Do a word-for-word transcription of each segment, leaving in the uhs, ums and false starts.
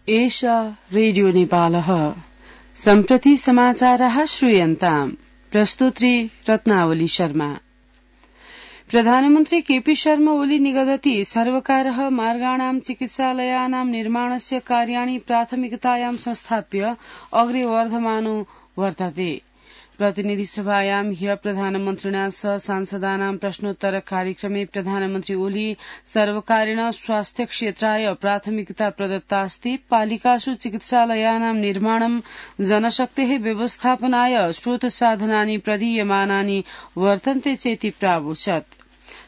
एषा रेडियो नेपालः सम्प्रति समाचाराः श्रूयन्ताम्। प्रस्तुत्री रत्नावली शर्मा। प्रधानमन्त्री केपी शर्मा ओली निगदति सर्वकारः मार्गाणां चिकित्सालयानां निर्माणस्य कार्याणि प्राथमिकतायां संस्थाप्य अग्रे वर्धमानो वर्तते। प्रतिनिधि सभायां ह्य प्रधानमन्त्रिणा सह सांसदानां प्रश्नोत्तर कार्यक्रमे प्रधानमन्त्री ओली सर्वकारेण स्वास्थ्य क्षेत्राय प्राथमिकता प्रदत्ता अस्ति। पालिकासु चिकित्सालयानां निर्माणं जनशक्तेः व्यवस्थापनाय स्रोत साधनानि प्रदीयमानानि वर्तन्ते चेति प्रावोचत्।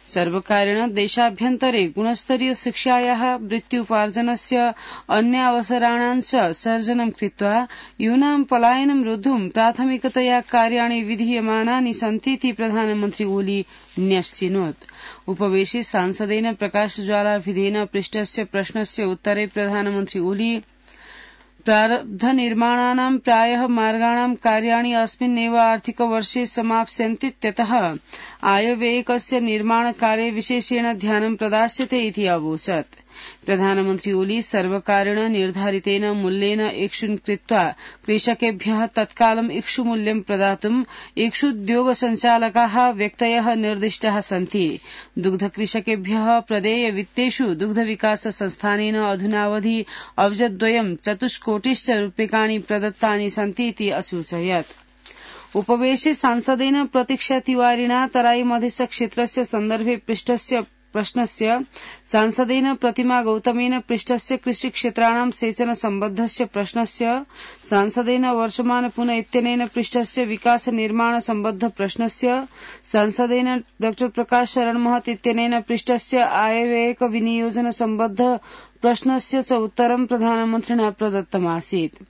सर्वकारेण देशाभ्यन्तरे गुणस्तरीय शिक्षायाः वृत्त्युपार्जनस्य अन्य अवसराणां च सर्जनं कृत्वा यूनां पलायनं रोद्धुं प्राथमिकतया कार्याणि विधीयमानानि सन्तीति प्रधानमन्त्री ओली न्यश्चिनोत्। उपवेशे सांसदेन प्रकाशज्वालाभिधेन पृष्टस्य प्रश्नस्य उत्तरे प्रधानमन्त्री ओली प्रारब्ध निर्माणानां प्रायः मार्गाणां कार्याणि अस्मिन्नेव आर्थिक वर्षे समाप्स्यन्तीत्यतः आयव्ययकस्य निर्माणकार्ये विशेषेण ध्यानं प्रदास्यते इति अवोचत्। प्रधानमन्त्री ओली सर्वकारेण निर्धारितेन मूल्येन इक्षुं कृत्वा कृषकेभ्यः तत्कालम् इक्षुमूल्यं प्रदातुं इक्षुद्योग संचालकाः व्यक्तयः निर्दिष्टाः सन्ति। दुग्धकृषकेभ्यः प्रदेय वित्तेषु दुग्धविकास संस्थानेन अधुनावधि अब्जद्वयं चतुष्कोटिश्च रूप्यकाणि प्रदत्तानि सन्ति इति असूचयत्। उपवेशे सांसदेन प्रतीक्षा तिवारिणा तराई मधेश क्षेत्रस्य सन्दर्भे पृष्टस्य प्रश्नस्य सांसदेन प्रतिमा गौतमेन पृष्टस्य कृषिक्षेत्राणां सेचन सम्बद्धस्य प्रश्नस्य सांसदेन वर्षमान पुन इत्यनेन पृष्टस्य विकास निर्माण सम्बद्ध प्रश्नस्य सांसदेन डॉ प्रकाश शरण महत इत्यनेन पृष्टस्य आयव्ययक विनियोजन सम्बद्ध प्रश्नस्य च उत्तरं प्रधानमन्त्रिणा प्रदत्तमासीत्।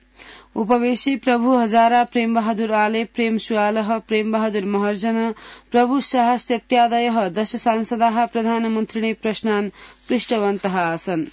उपवेशे प्रभु हजारा, प्रेम बहादुर आले, प्रेम सुआलः, प्रेम बहादुर महर्जन, प्रभु शाह इत्यादयः दश सांसदाः प्रधानमन्त्रिणे प्रश्नान् पृष्टवन्तः आसन्।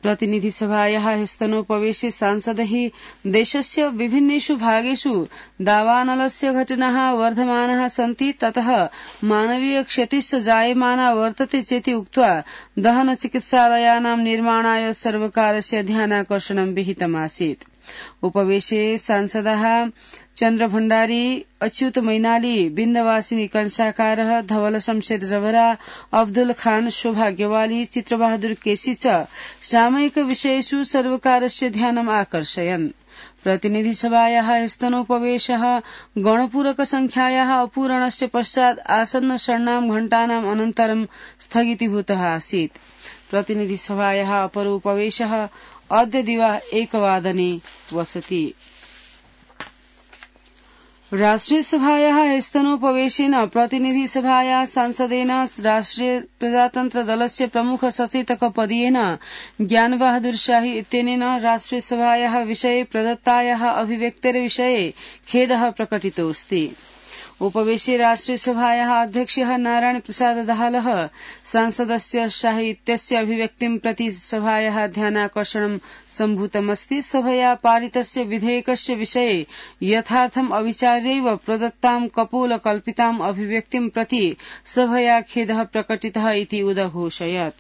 प्रतिनिधि सभायाः ह्यस्तनोपवेशे सांसदैः देशस्य विभिन्नेषु भागेषु दावानलस्य घटनाः वर्धमानाः सन्ति, ततः मानवीय क्षतिश्च जायमाना वर्तते चेति उक्त्वा दहन चिकित्सालयानां निर्माणाय सर्वकारस्य ध्यानाकर्षणं विहितमासीत्। उपवेशे सांसदाः चन्द्र भण्डारी, अच्युत मैनाली, बिन्दवासिनी कंसाकारः, धवल शमशेर जवरा, अब्दुल खान, शोभा गेवाली, चित्रबहादुर केसी च सामयिक विषयेषु सर्वकारस्य ध्यानम् आकर्षयन्। प्रतिनिधि सभायाः स्तनोपवेशः गणपूरक संख्यायाः अपूरणस्य पश्चात् आसन्न षण्णां घण्टानाम् अनन्तरं स्थगितीभूतः आसीत्। प्रतिनिधि सभायाः अपरोपवेशः अद्य दिवा एकवादने वसति। राष्ट्रिय सभायाः स्तनोपवेशेन प्रतिनिधि सभायाः सांसदेन राष्ट्रिय प्रजातन्त्र दलस्य प्रमुख सचेतक पदीयेन ज्ञानबहादुर शाही इत्यनेन राष्ट्रिय सभायाः विषये प्रदत्तायाः अभिव्यक्तेर्विषये खेदः प्रकटितोऽस्ति। उपवेशे राष्ट्रिय सभायाः अध्यक्षः नारायण प्रसाद दाहालः सांसदस्य शाही इत्यस्य अभिव्यक्तिं प्रति सभायाः ध्यानाकर्षणं सम्भूतमस्ति। सभया पारितस्य विधेयकस्य विषये यथार्थम् अविचार्यैव प्रदत्तां कपोलकल्पिताम् अभिव्यक्तिं प्रति सभया खेदः प्रकटितः इति उदघोषयत्।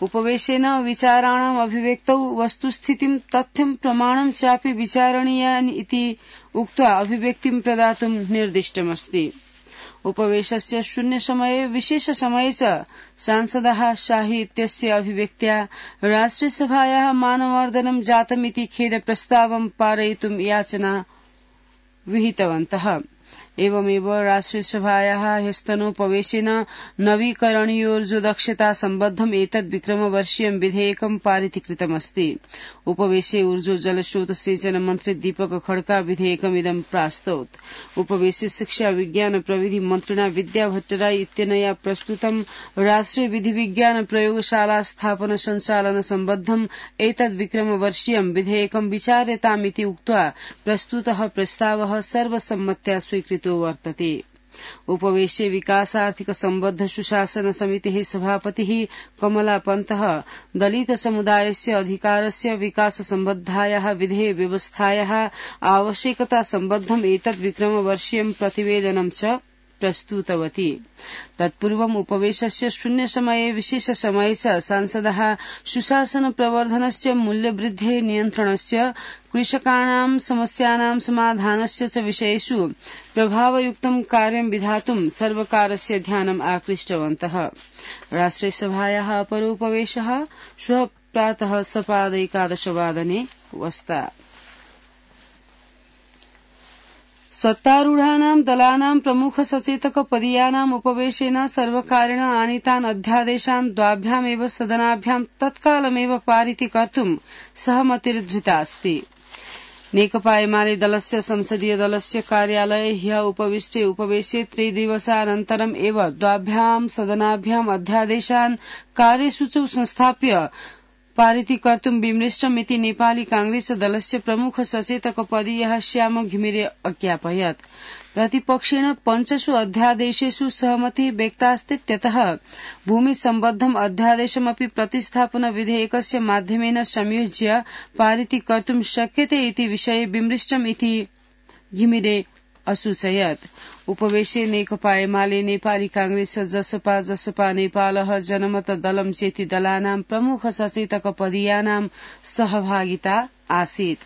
उपवेशेन विचाराणाम् अभिव्यक्तौ वस्तुस्थितिं तथ्यं प्रमाणं चापि विचारणीयानि इति उक्त्वा अभिव्यक्तिं प्रदातुं निर्दिष्टमस्ति। उपवेशस्य शून्य समये विशेष समये च सांसदाः शाही इत्यस्य अभिव्यक्त्या राष्ट्रियसभायाः मानवर्धनं जातमिति खेद प्रस्तावं पारयितुं याचना विहितवन्तः। एवमेव राष्ट्रियसभायाः ह्यस्तनोपवेशेन नवीकरणीयोर्जोदक्षता सम्बद्धम् एतद् विक्रमवर्षीयं विधेयकं पारितीकृतमस्ति। उपवेशे ऊर्जो जलस्रोत सेचन मन्त्री दीपक खड्का विधेयकमिदं प्रास्तौत्। उपवेशे शिक्षा विज्ञान प्रविधि मन्त्रिणा विद्या भट्टराई इत्यनया प्रस्तुतं राष्ट्रिय विधि विज्ञान प्रयोगशाला स्थापन सञ्चालन सम्बद्धम् एतद् विक्रमवर्षीयं विधेयकं विचार्यतामिति उक्त्वा प्रस्तुतः प्रस्तावः सर्वसम्मत्या स्वीकृतो वर्तते। उपवेशे विकासार्थिक सम्बद्ध सुशासन समितेः सभापतिः कमला पन्तः दलित समुदायस्य अधिकारस्य विकास सम्बद्धायाः विधेय व्यवस्थायाः आवश्यकता सम्बद्धम् एतद् विक्रमवर्षीयं प्रतिवेदनं च प्रस्तुतवती। तत्पूर्वम् उपवेशस्य शून्य समये विशेष समये च सांसदः सुशासन प्रवर्धनस्य मूल्यवृद्धेः नियन्त्रणस्य कृषकाणां समस्यानां समाधानस्य च विषयेषु प्रभावयुक्तं कार्यं विधातुं सर्वकारस्य ध्यानम् आकृष्टवन्तः। राष्ट्रियसभायाः अपरोपवेशः श्वः प्रातः सपादैकादशवादने वस्ता। सत्तारूढानां दलानां प्रमुख सचेतक पदीयानाम् उपवेशेन सर्वकारेण आनीतान् अध्यादेशान् द्वाभ्यामेव सदनाभ्यां तत्कालमेव पारितीकर्तुं सहमतिर्धृतास्ति। नेकपा एमाले दलस्य संसदीय दलस्य कार्यालये ह्यः उपविष्टे उपवेशे त्रिदिवसानन्तरम् एव द्वाभ्यां सदनाभ्याम् अध्यादेशान् कार्यसूचौ संस्थाप्य पारितीकर्तुं विमृष्टमिति नेपाली कांग्रेस दलस्य प्रमुख सचेतक पदीयः श्याम घिमिरे अज्ञापयत्। प्रतिपक्षेण पञ्चसु अध्यादेशेषु सहमतिः व्यक्तास्तीत्यतः भूमि सम्बद्धम् अध्यादेशमपि प्रतिस्थापन विधेयकस्य माध्यमेन संयोज्य पारितीकर्तुं शक्यते इति विषये विमृष्टम् इति घिमिरे असूचयत्। उपवेशे नेकपा एमाले नेपाली कांग्रेस जसपा जसपा नेपालः जनमत दलम् चेति दलानां प्रमुख सचेतक पदीयानां सहभागिता आसीत्।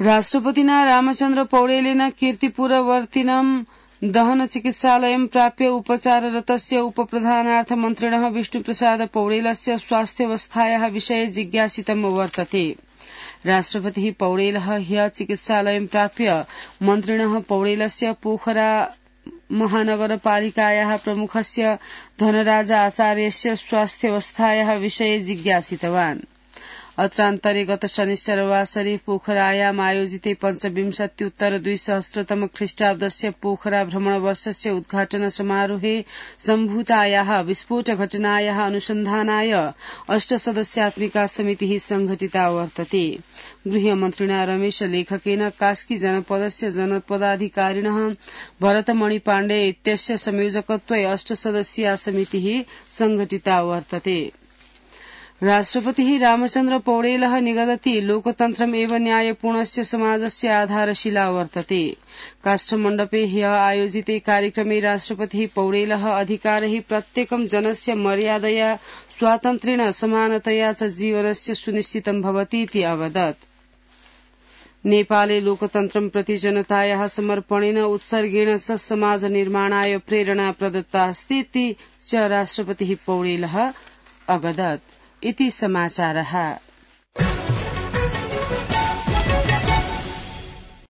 राष्ट्रपतिना रामचन्द्र पौडेलेन कीर्तिपुरवर्तिनं दहन चिकित्सालयं प्राप्य उपचाररतस्य उपप्रधानार्थ मन्त्रिणः विष्णुप्रसाद पौडेलस्य स्वास्थ्यावस्थायाः विषये जिज्ञासितं वर्तते। राष्ट्रपतिः पौडेलः ह्यः चिकित्सालयं प्राप्य मन्त्रिणः पौडेलस्य पोखरा महानगरपालिकायाः प्रमुखस्य धनराज आचार्यस्य स्वास्थ्यावस्थायाः विषये जिज्ञासितवान्। अत्रान्तरे गत शनिश्चरवासरे पोखरायाम् आयोजिते पञ्चविंशत्युत्तर द्विसहस्रतम ख्रीष्टाब्दस्य पोखरा भ्रमणवर्षस्य उद्घाटन समारोहे सम्भूतायाः विस्फोट घटनायाः अनुसन्धानाय अष्टसदस्यात्मिका समितिः संघटिता वर्तते। गृहमन्त्रिणा रमेश लेखकेन कास्की जनपदस्य जनपदाधिकारिणः भरतमणि पाण्डे इत्यस्य संयोजकत्वे अष्टसदस्यीया समितिः संघटिता वर्तते। राष्ट्रपतिः रामचन्द्र पौडेलः निगदति लोकतन्त्रम् एव न्यायपूर्णस्य समाजस्य आधारशिला वर्तते। काष्ठमण्डपे ह्यः आयोजिते कार्यक्रमे राष्ट्रपतिः पौडेलः अधिकारैः प्रत्येकं जनस्य मर्यादया स्वातन्त्र्येण समानतया च जीवनस्य सुनिश्चितं भवतीति अवदत्। नेपाले लोकतन्त्रं प्रति जनतायाः समर्पणेन उत्सर्गेण च समाज निर्माणाय प्रेरणा प्रदत्ता अस्ति च राष्ट्रपतिः पौडेलः अवदत्। इति समाचारः।